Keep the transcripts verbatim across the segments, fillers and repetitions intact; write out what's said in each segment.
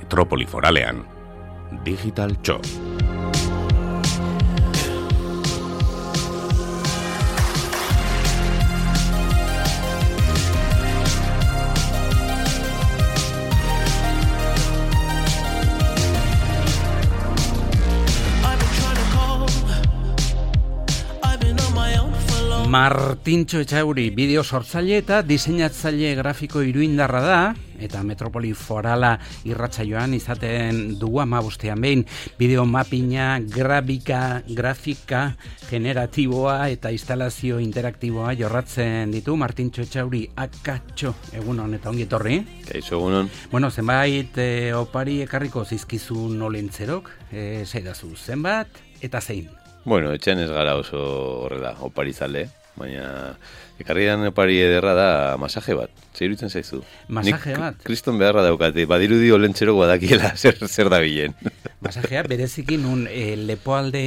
Metropoli Foralean, Digital Txo. Martintxo Etxauri bideo sortzaile eta diseinatzaile grafiko iruindarra da, eta Metropoli Forala irratsaioan izaten dugu hamabostean behin. Bideo mapina, grafika, grafika generatiboa eta instalazio interaktiboa jorratzen ditu. Martintxo Etxauri, akatxo, egunon eta ongi etorri. Kaixo, egunon. Bueno, zenbait e, opari ekarriko zizkizu nolentzerok, e, zeidazu, zenbat eta zein? Bueno, etxean ez gara oso horrela, opari zale, baina ekarrian opari ederra da masaje bat, zer iruditzen zaizu? Masaje Nik bat? Kriston beharra daukate, badirudi olentxerok badakiela zer, zer da bilen. Masajea bereziki nun e, lepoalde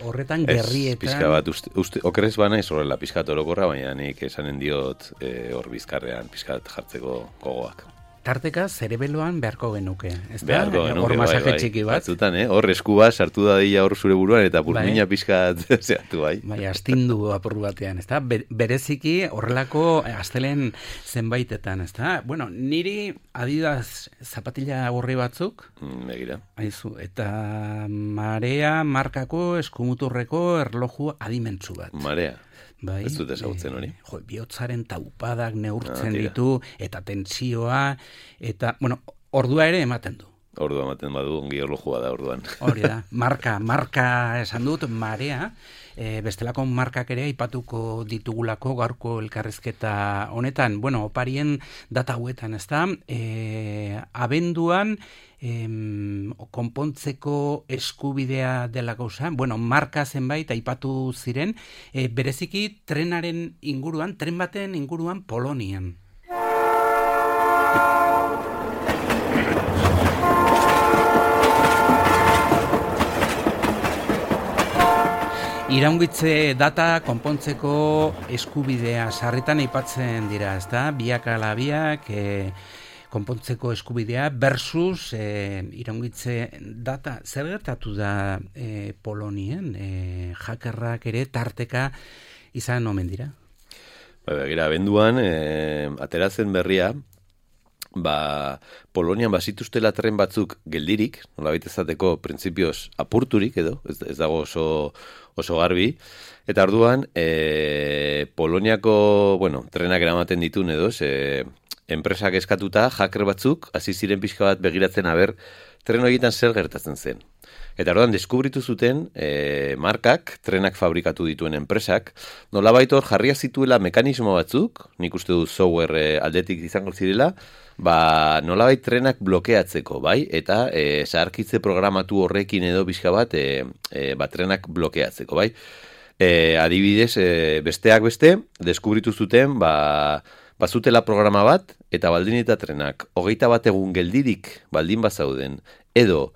horretan gerrietan... Ez, pixka bat, uste, uste, okerrez bana ez horrela pixkat orokorra, baina nik esanen diot e, hor bizkarrean pixkat jartzeko gogoak. Tarteka zerebeloan beharko genuke, ez da? Beharko genuke, hor masaje bai, bai. txiki bat. Batzutan, eh? Hor eskua sartu da dila hor zure buruan eta burmina bai. Pixkat zehatu bai. Bai, astindu apur batean, ez da? Bereziki horrelako astelen zenbaitetan, ez da? Bueno, niri Adidas zapatilla gorri batzuk, mm, begira. Aizu, eta Marea markako eskumuturreko erloju adimentsu bat. Marea. Bai, ez dut ezagutzen hori. E, jo, bihotzaren taupadak neurtzen ah, ditu, eta tentsioa, eta, bueno, ordua ere ematen du. Ordua ematen badu, ongi erlojua da orduan. Hori da, marka, marka esan dut, Marea, e, bestelako markak ere aipatuko ditugulako gaurko elkarrizketa honetan, bueno, oparien data hauetan, ez da, e, abenduan, Em, konpontzeko eskubidea dela gauza, bueno, marka zenbait aipatu ziren, e, bereziki trenaren inguruan, tren baten inguruan Polonian. Iraungitze data konpontzeko eskubidea sarritan aipatzen dira, ezta? Biak ala biak, e, konpontzeko eskubidea versus e, iraungitze data. Zer gertatu da e, Polonien? E, hackerrak ere tarteka izan omen dira? Ba, begira, abenduan, e, ateratzen berria, ba, Polonian bazituztela tren batzuk geldirik, nolabait ezateko printzipioz apurturik edo, ez, ez dago oso, oso garbi, eta orduan, e, Poloniako, bueno, trenak eramaten ditun edo, ze, enpresak eskatuta, hacker batzuk, hasi ziren pixka bat begiratzen aber, tren horietan zer gertatzen zen. Eta orduan, deskubritu zuten e, markak, trenak fabrikatu dituen enpresak, nolabait hor jarria zituela mekanismo batzuk, nik uste du software e, aldetik izango zirela, ba, nolabait trenak blokeatzeko, bai? Eta e, zaharkitze programatu horrekin edo pixka bat, e, e, ba, trenak blokeatzeko, bai? E, adibidez, e, besteak beste, deskubritu zuten, ba, bazutela programa bat, eta baldin eta trenak, hogeita bat egun geldirik baldin bazauden, edo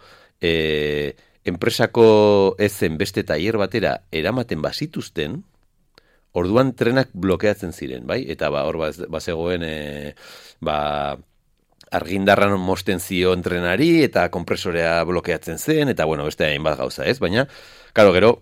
e, enpresako ezen beste tailer batera eramaten bazituzten, orduan trenak blokeatzen ziren, bai? Eta ba, hor bazegoen e, ba, argindarran mosten zion trenari, eta kompresorea blokeatzen zen, eta bueno, beste hainbat gauza, ez? Baina, karo, gero,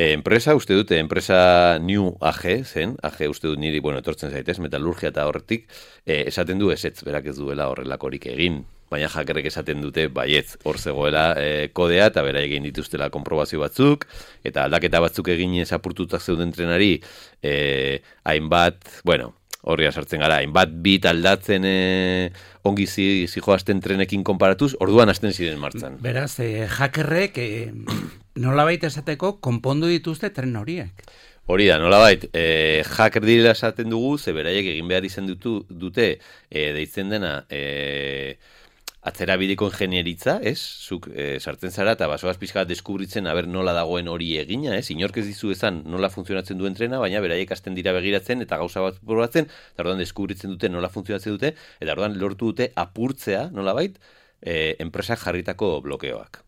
E, enpresa, uste dute, enpresa New A G zen, A G uste dut niri, bueno, etortzen zaitez, metalurgia eta horretik, e, esaten du ezetz, berak ez duela horrelakorik egin, baina hackerrek esaten dute, baietz, hor zegoela e, kodea, eta bera egin dituztela konprobazio batzuk, eta aldaketa batzuk egin apurtutak zeuden trenari, e, hainbat, bueno, horria sartzen gara, hainbat bit aldatzen e, ongi zi, zijoazten trenekin konparatuz, orduan hasten ziren martzan. Beraz, e, hackerrek e, nolabait esateko konpondu dituzte tren horiek. Hori da, nolabait, e, hacker direla esaten dugu, ze beraiek egin behar izan dutu, dute, e, deitzen dena, e, atzerabideko ingenieritza, ez? Zuk e, sartzen zara eta basoaz pixka deskubritzen aber nola dagoen hori egina, ez? Inork ez dizu esan nola funtzionatzen duen trena, baina beraiek hasten dira begiratzen eta gauza bat probatzen, eta orduan deskubritzen dute nola funtzionatzen dute, eta orduan lortu dute apurtzea, nolabait, e, enpresak jarritako blokeoak.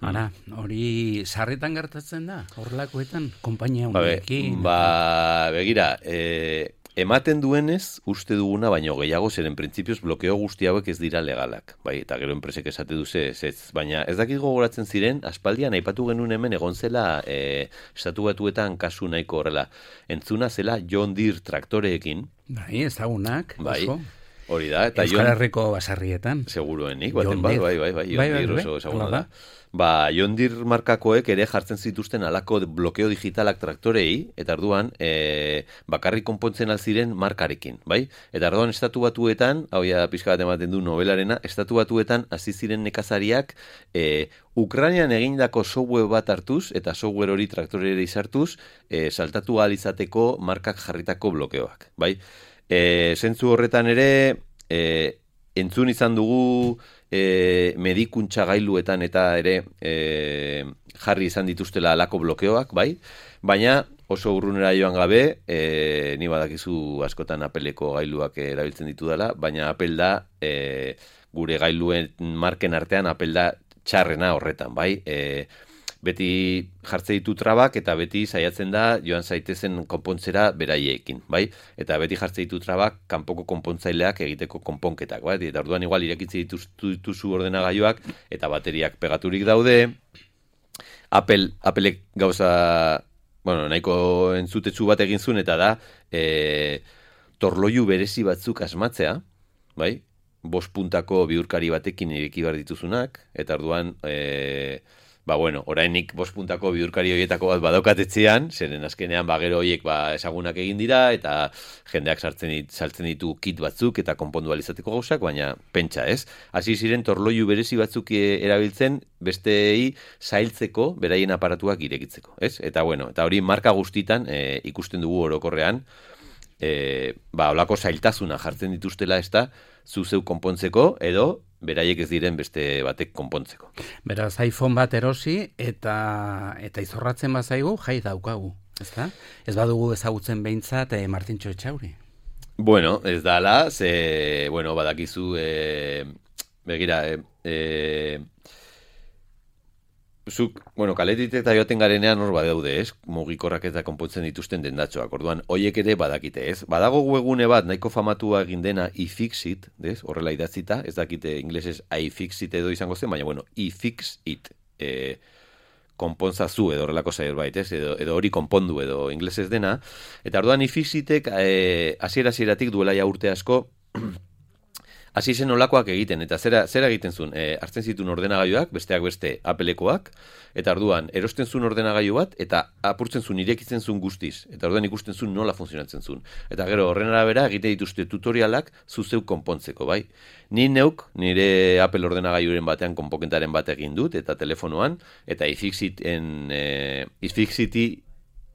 Ara, hori sarritan gertatzen da, horrelakoetan, konpainia honekin. Ba, ba, begira, e, ematen duenez, uste duguna, baino gehiago, zeren printzipioz blokeo guzti hauek ez dira legalak, bai, eta gero enpresek esate duze, ez, ez, baina ez dakit gogoratzen ziren, aspaldian aipatu genuen hemen egon zela, e, estatu batuetan kasu nahiko horrela, entzuna zela John Deere traktoreekin, bai, ezagunak, bai, oso. Hori da, eta Euskal Herriko basarrietan. Seguruenik, baten bat, bai, bai, bai, John bai, bai, Deere bai, oso ezaguna bai. da. Ba, John Deere markakoek ere jartzen zituzten alako blokeo digitalak traktorei, eta orduan e, bakarrik konpontzen alziren markarekin, bai? Eta orduan estatu batuetan, hau ja pixka bat ematen du novelarena, estatu batuetan hasi ziren nekazariak e, Ukrainian egindako software bat hartuz, eta software hori traktorera izartuz, e, saltatu ahal izateko markak jarritako blokeoak, bai? E, zentzu horretan ere, e, entzun izan dugu e, medikuntza gailuetan eta ere e, jarri izan dituztela alako blokeoak, bai? Baina oso urrunera joan gabe, e, ni badakizu askotan Appleko gailuak erabiltzen ditu dela, baina Apple da e, gure gailuen marken artean Apple da txarrena horretan, bai? E, beti jartze ditu trabak eta beti saiatzen da joan zaitezen konpontzera beraiekin, bai? Eta beti jartze ditu trabak kanpoko konpontzaileak egiteko konponketak, bai? Eta orduan igual irekitze dituzu, dituzu ordenagailuak eta bateriak pegaturik daude. Apple, Applek gauza, bueno, nahiko entzutetsu bat egin zuen eta da e, torloiu berezi batzuk asmatzea, bai? Bost puntako bihurkari batekin ireki behar dituzunak, eta orduan e, ba, bueno, orainik bost puntako bihurkari horietako bat badaukatetzean, zeren azkenean bagero horiek ba, ezagunak egin dira, eta jendeak sartzen dit, saltzen ditu kit batzuk eta konpondu alizateko gauzak, baina pentsa, ez? Hasi ziren torloiu berezi batzuk erabiltzen besteei zailtzeko beraien aparatuak irekitzeko, ez? Eta bueno, eta hori marka guztitan e, ikusten dugu orokorrean, e, ba, olako zailtasuna jartzen dituztela ez da, zuzeu konpontzeko, edo beraiek ez diren beste batek konpontzeko. Beraz, iPhone bat erosi eta eta izorratzen bazaigu, jai daukagu, ezta? Ez badugu ezagutzen behintzat e, Martintxo Etxauri. Bueno, ez dala, ze, bueno, badakizu, e, begira, e, e, zuk, bueno, kaletik eta joaten garenean hor badaude, ez? Mugikorrak eta konpontzen dituzten dendatxoak. Orduan, hoiek ere badakite, ez? Badago webgune bat nahiko famatua egin dena iFixit, ez? Horrela idatzita, ez dakite inglesez iFixit edo izango zen, baina bueno, iFixit, eh, konpontzazu edo horrelako zerbait, ez? Edo, edo hori konpondu edo inglesez dena. Eta orduan iFixitek eh, hasiera hasieratik duela ja urte asko hasi zen olakoak egiten, eta zera, zera egiten zuen, e, hartzen zituen ordenagailuak, besteak beste Applekoak, eta orduan erosten zuen ordenagailu bat, eta apurtzen zuen irekitzen zuen guztiz, eta orduan ikusten zuen nola funtzionatzen zuen. Eta gero horren arabera egite dituzte tutorialak zuzeu konpontzeko, bai? Ni neuk, nire Apple ordenagailuren batean konpokentaren bat egin dut, eta telefonoan, eta iFixiten, e, iFixiti,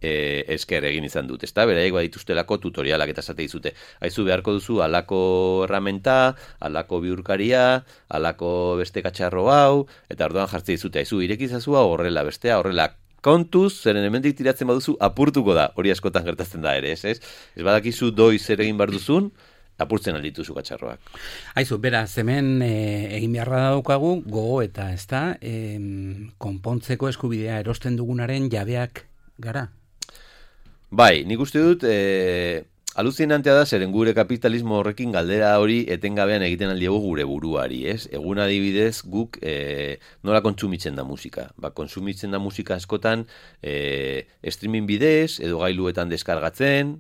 E, esker egin izan dut, ezta? Beraiek badituztelako tutorialak eta esate dizute. Aizu beharko duzu alako erramenta, alako bihurkaria, alako beste katxarro hau, eta orduan jartze dizute. Aizu irekizazua horrela, bestea horrela. Kontuz, zeren hemendik tiratzen baduzu apurtuko da. Hori askotan gertatzen da ere, ez? Ez, ez badakizu doi zer egin behar duzun, apurtzen aldituzu katxarroak. Aizu, beraz, hemen e, egin beharra daukagu gogo eta, ezta? E, konpontzeko eskubidea erosten dugunaren jabeak gara. Bai, nik uste dut, e, aluzinantea da, zeren gure kapitalismo horrekin galdera hori etengabean egiten aldiago gure buruari, ez? Egun adibidez guk e, nola kontsumitzen da musika. Ba, kontsumitzen da musika askotan e, streaming bidez, edo gailuetan deskargatzen,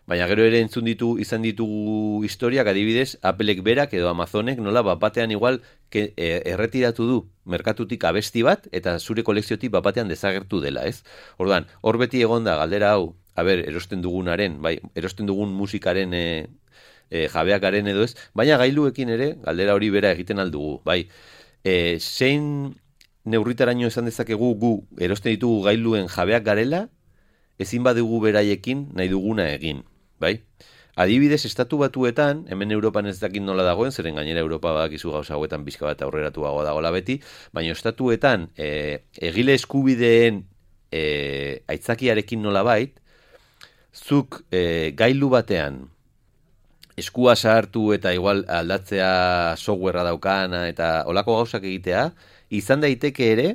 baina gero ere entzun ditu, izan ditugu historiak adibidez, Applek berak edo Amazonek nola bapatean igual ke, e, erretiratu du merkatutik abesti bat, eta zure kolekziotik bapatean desagertu dela, ez? Orduan, hor beti egonda galdera hau, a ber, erosten dugunaren, bai, erosten dugun musikaren e, e, jabeakaren edo ez, baina gailuekin ere, galdera hori bera egiten aldugu, bai, e, zein neurritaraino esan dezakegu gu erosten ditugu gailuen jabeak garela, ezin badugu beraiekin nahi duguna egin, bai? Adibidez, estatu batuetan, hemen Europan ez dakit nola dagoen, zeren gainera Europa badakizu gauza hauetan bizka bat aurreratuago dagoela beti, baina estatuetan e, egile eskubideen e, aitzakiarekin nola bait, zuk e, gailu batean eskua sartu eta igual aldatzea softwarea daukana eta olako gauzak egitea, izan daiteke ere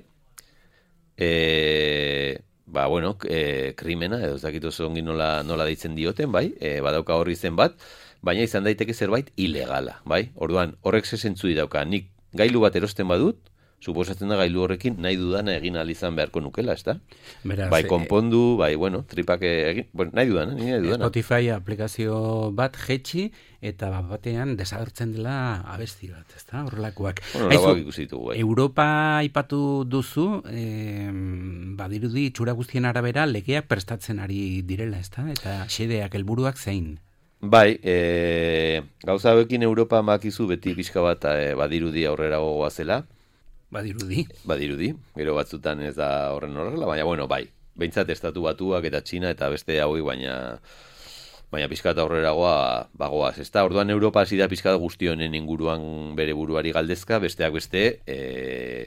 e, ba, bueno, e, krimena, edo ez dakit oso ongi nola, nola deitzen dioten, bai, e, badauka horri zen bat, baina izan daiteke zerbait ilegala, bai? Orduan, horrek ze zentzu dauka, nik gailu bat erosten badut, suposatzen da gailu horrekin nahi dudana egin ahal izan beharko nukela, ezta? Beraz, bai konpondu, bai, bueno, tripak egin, bueno, nahi dudana, nahi dudana. Spotify aplikazio bat jetxi, eta bat batean desagertzen dela abesti bat, ezta? Horrelakoak. Bueno, lagoak ikusi ditugu, bai. Europa aipatu duzu, eh, badirudi itxura guztien arabera legeak prestatzen ari direla, ezta? Eta xedeak helburuak zein? Bai, e, gauza hauekin Europa makizu beti pixka bat e, badirudi aurrera gogoa zela. Badirudi. Badirudi, gero batzutan ez da horren horrela, baina bueno, bai. Behintzat estatu batuak eta Txina eta beste hauei, baina baina pixkat aurreragoa bagoaz. Ez da, orduan Europa hasi da pixkat guzti honen inguruan bere buruari galdezka, besteak beste, e,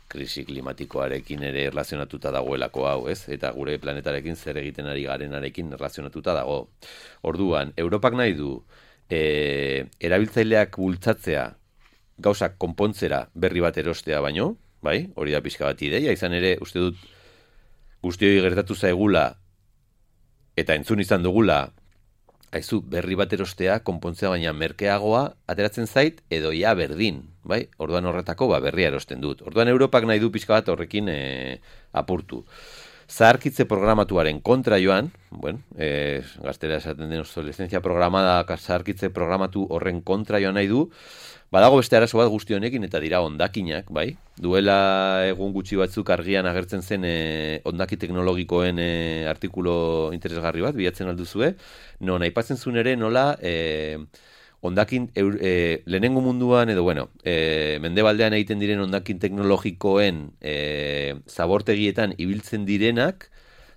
krisi klimatikoarekin ere erlazionatuta dagoelako hau, ez? Eta gure planetarekin zer egiten ari garenarekin erlazionatuta dago. Orduan, Europak nahi du e, erabiltzaileak bultzatzea gauzak konpontzera berri bat erostea baino, bai? Hori da pixka bat ideia, izan ere, uste dut guztioi gertatu zaigula eta entzun izan dugula aizu berri bat erostea, konpontzea baina merkeagoa ateratzen zait edo ja berdin, bai? Orduan horretako ba, berria erosten dut. Orduan Europak nahi du pixka bat horrekin e, apurtu. Zaharkitze programatuaren kontra joan, bueno, e, gaztera esaten den obsolescentzia programada, zaharkitze programatu horren kontra joan nahi du, badago beste arazo bat guzti honekin eta dira hondakinak, bai? Duela egun gutxi batzuk argian agertzen zen e, hondaki teknologikoen e, artikulo interesgarri bat, bilatzen alduzue, non aipatzen zuen ere nola e, hondakin e, lehenengo munduan edo, bueno, e, mendebaldean egiten diren hondakin teknologikoen e, zabortegietan ibiltzen direnak,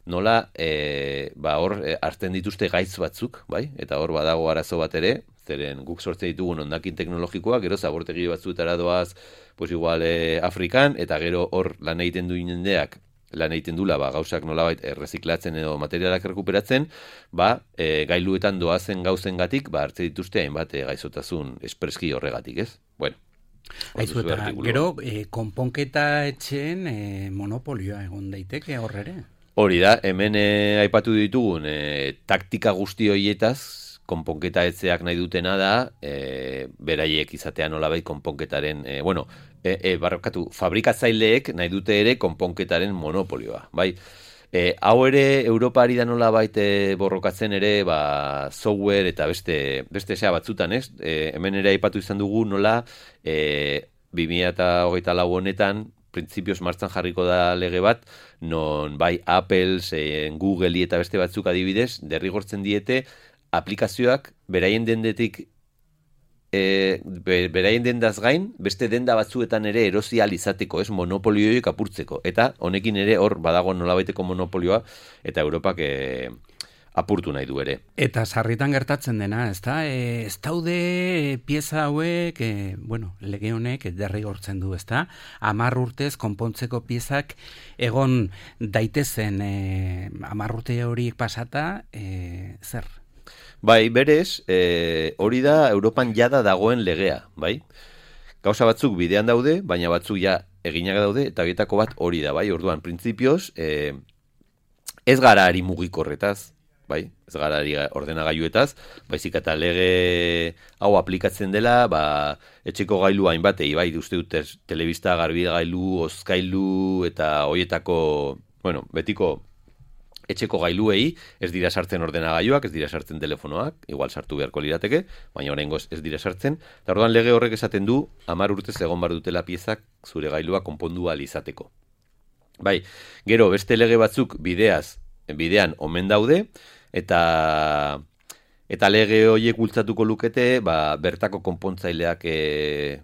nola e, ba, hor e, hartzen dituzte gaitz batzuk, bai? Eta hor badago arazo bat ere, zeren guk sortze ditugun hondakin teknologikoak, gero zabortegi batzuetara doaz, pues igual e, Afrikan, eta gero hor lan egiten du jendeak, lan egiten dula, ba, gauzak nolabait erreziklatzen edo materialak rekuperatzen, ba, e, gailuetan doazen gauzengatik, ba, hartze dituzte hainbat e, gaizotasun espreski horregatik, ez? Bueno. Aizu eta gero, e, konponketa etxeen e, monopolioa egon daiteke horrere? Hori da, hemen e, aipatu ditugun e, taktika guzti horietaz, konponketa etzeak nahi dutena da, e, beraiek izatea nolabait konponketaren, e, bueno, e, e, barrokatu, fabrikatzaileek nahi dute ere konponketaren monopolioa, bai? E, hau ere, Europa ari da nolabait e, borrokatzen ere, ba, software eta beste, beste sea batzutan, ez? E, hemen ere aipatu izan dugu nola, e, bi mila hogeita lau honetan, printzipioz martzan jarriko da lege bat, non bai Apple, e, Google eta beste batzuk adibidez, derrigortzen diete, aplikazioak beraien dendetik e, beraien dendaz gain, beste denda batzuetan ere erosi ahal izateko, ez, monopolioik apurtzeko. Eta honekin ere hor badago nolabaiteko monopolioa, eta Europak e, apurtu nahi du ere. Eta sarritan gertatzen dena, ezta? E, ez daude pieza hauek, e, bueno, lege honek derrigortzen du, ezta? Hamar urtez konpontzeko piezak egon daitezen e, hamar urte horiek pasata, e, zer? Bai, berez, e, hori da Europan jada dagoen legea, bai? Gauza batzuk bidean daude, baina batzuk ja eginak daude, eta horietako bat hori da, bai? Orduan, printzipioz, e, ez gara ari mugikorretaz, bai? Ez gara ari ordenagailuetaz, baizik eta lege hau aplikatzen dela, ba, etxeko gailu hainbatei, bai? Uste dut telebista, garbigailu, hozkailu, eta horietako, bueno, betiko etxeko gailuei ez dira sartzen ordenagailuak, ez dira sartzen telefonoak, igual sartu beharko lirateke, baina oraingoz ez dira sartzen. Eta orduan lege horrek esaten du hamar urtez egon bar dutela piezak zure gailua konpondu ahal izateko. Bai, gero beste lege batzuk bideaz, bidean omen daude eta eta lege horiek bultzatuko lukete, ba, bertako konpontzaileak e,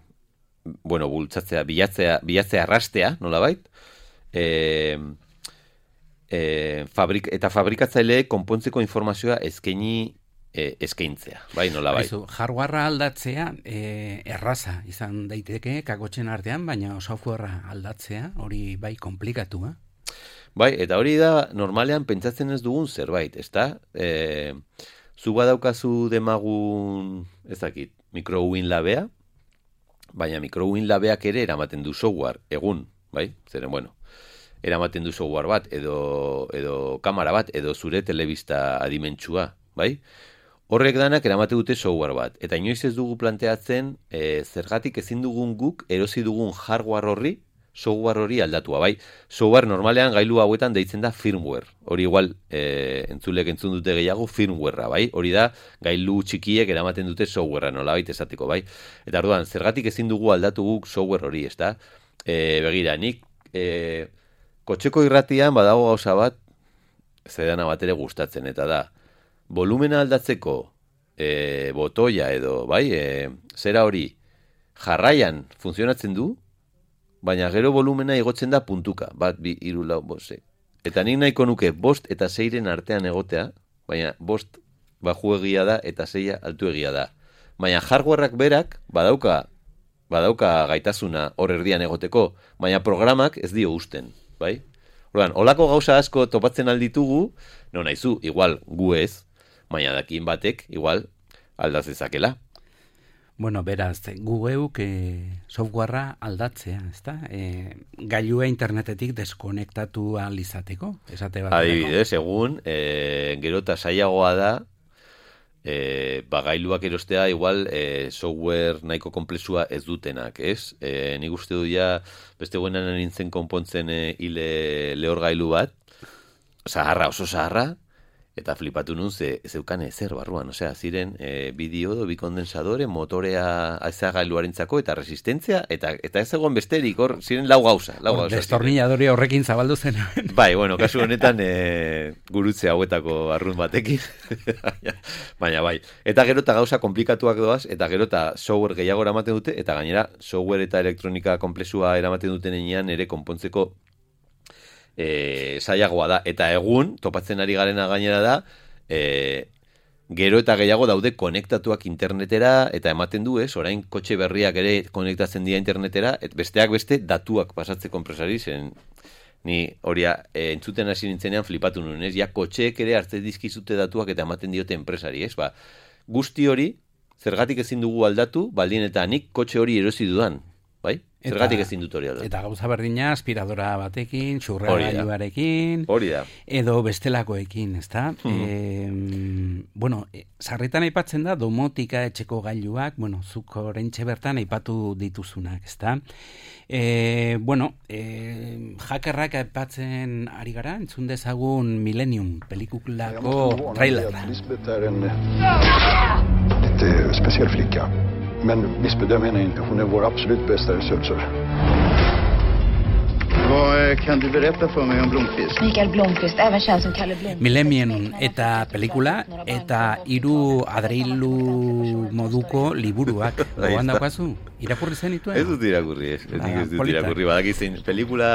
bueno, bultzatzea, bilatzea, bilatzea arrastea, nolabait? Eh, E, fabrik, eta fabrikatzaileek konpontzeko informazioa eskaini e, eskaintzea, bai, nola bai. Aizu, hardwarea aldatzea e, erraza izan daiteke kakotxen artean, baina softwarea aldatzea hori bai komplikatu, eh? Bai, eta hori da normalean pentsatzen ez dugun zerbait, ezta? E, zu badaukazu demagun, ez dakit, microwin labea, baina microwin labeak ere eramaten du software, egun, bai? Zeren, bueno, eramaten du software bat, edo, edo kamera bat, edo zure telebista adimentsua, bai? Horrek danak eramate dute software bat. Eta inoiz ez dugu planteatzen, e, zergatik ezin dugun guk erosi dugun hardware horri, software hori aldatua, bai? Software normalean gailu hauetan deitzen da firmware. Hori igual, e, entzulek entzun dute gehiago firmwarea, bai? Hori da, gailu txikiek eramaten dute softwarea, nolabait esateko, bai? Eta orduan, zergatik ezin dugu aldatu guk software hori, ez da? E, begira, nik e, kotxeko irratian badago gauza bat, zedana bat ere gustatzen, eta da, volumena aldatzeko e, botoia edo, bai, e, zera hori jarraian funtzionatzen du, baina gero volumena igotzen da puntuka, bat, bi, hiru, lau, bost, eta nik nahiko nuke bost eta seiren artean egotea, baina bost bajuegia da eta seia altuegia da. Baina hardwareak berak badauka, badauka gaitasuna hor erdian egoteko, baina programak ez dio usten, bai? Orduan, holako gauza asko topatzen alditugu, no naizu, igual gu ez, baina dakin batek, igual, aldaz dezakela. Bueno, beraz, gu geuk e, softwarea aldatzea, ezta? E, gailua internetetik deskonektatu ahal izateko, esate bat. Adibidez, egun, e, gero eta saiagoa da, e, ba, gailuak erostea igual e, software nahiko komplexua ez dutenak, ez? E, nik uste du ja, beste guenan nintzen konpontzen e, hile lehorgailu bat, zaharra, oso zaharra, eta flipatu nun ze zeukan ezer barruan, osea, ziren e, bideo bi kondensadore, motorea azagailuarentzako eta resistentzia, eta eta ez egon besterik, hor ziren lau gauza. Lau Or, gauza destornilladore horrekin zabaldu zen. Bai, bueno, kasu honetan e, gurutze hauetako arrun batekin. Baina bai. Eta gero eta gauza komplikatuak doaz, eta gero eta software gehiago eramaten dute, eta gainera software eta elektronika komplexua eramaten duten enean ere konpontzeko E, zailagoa da, eta egun topatzen ari garena gainera da e, gero eta gehiago daude konektatuak internetera, eta ematen du ez, orain kotxe berriak ere konektatzen dira internetera, et besteak beste datuak pasatzeko enpresari, zen ni hori e, entzuten hasi nintzenean flipatu nuen, ez, ja kotxeek ere hartze dizkizute datuak eta ematen diote enpresari, ez, ba, guzti hori, zergatik ezin dugu aldatu, baldin eta nik kotxe hori erosi dudan, bai? Zergatik ezin dut hori aldatu. Eta gauza berdina, aspiradora batekin, xurragailuarekin, hori da. Edo bestelakoekin, ezta? Hmm. E, bueno, sarritan aipatzen da, domotika etxeko gailuak, bueno, zuk oraintxe bertan aipatu dituzunak, ezta? E, bueno, e, hackerrak aipatzen ari gara, entzun dezagun Millennium pelikulako trailer. Lite speciell flicka. Men missbedöm henne inte. Hon är vår absolut bästa resurser. Vad kan du berätta för mig om Blomqvist? Mikael Blomqvist, även känd som Kalle Blomqvist. Millennium eta pelikula eta hiru adreilu moduko liburuak. Gogoan daukazu? Irakurri zenituen? Ez dut irakurri, ez. Ez nik ez dut irakurri. Badakizein pelikula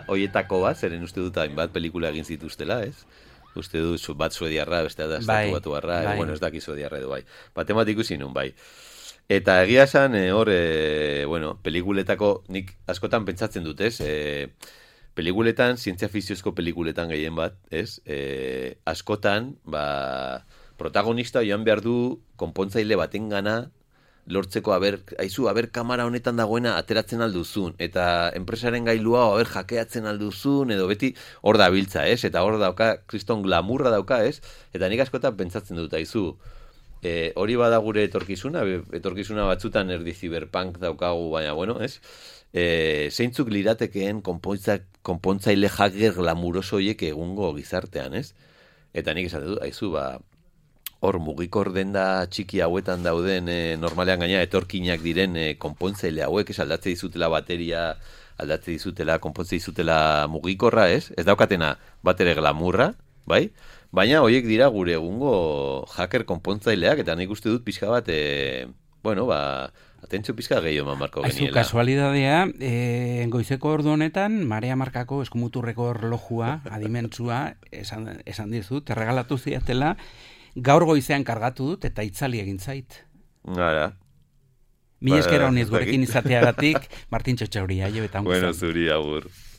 hoietako bat, zeren uste dut hainbat pelikula egin zituztela, ez? Uste dut bat suediarra, beste da estatu batuarra, bai. Bueno, ez daki suediarra edo bai. Batemat ikusi nun, bai. Eta egia esan, e, hor, e, bueno, pelikuletako, nik askotan pentsatzen dut, ez? E, pelikuletan, zientzia fiziozko pelikuletan gehien bat, ez? E, askotan, ba, protagonista joan behar du konpontzaile baten gana, lortzeko, aber, aizu, aber, kamera honetan dagoena ateratzen alduzun, eta enpresaren gailua, aber, jakeatzen alduzun, edo beti hor da biltza, ez? Eta hor dauka, kriston glamurra dauka, ez? Eta nik askotan pentsatzen dut, aizu, E, hori bada gure etorkizuna, etorkizuna batzutan erdi cyberpunk daukagu, baina, bueno, ez? E, zeintzuk liratekeen konpontzaile hacker glamuroso horiek egungo gizartean, ez? Eta nik esaten dut, aizu, ba, hor mugikor denda txiki hauetan dauden, e, normalean gaina etorkinak diren e, konpontzaile hauek, ez aldatze dizutela bateria, aldatze dizutela, konpontze dizutela mugikorra, ez? Ez daukatena bat ere glamurra, bai? Baina horiek dira gure egungo hacker konpontzaileak, eta nik uste dut pixka bat, e, bueno, ba, atentzio pixka gehiago eman marko geniela. Aizu, kasualidadea, e, goizeko ordu honetan, Marea Markako eskumuturreko erlojua, adimentsua, esan, esan dizut, erregalatu ziatela, gaur goizean kargatu dut, eta itzali egin zait. Gara. Mi eskera honiz gurekin izateagatik, Martin Txotxauri, aio eta ongo. Bueno, zuri, agur.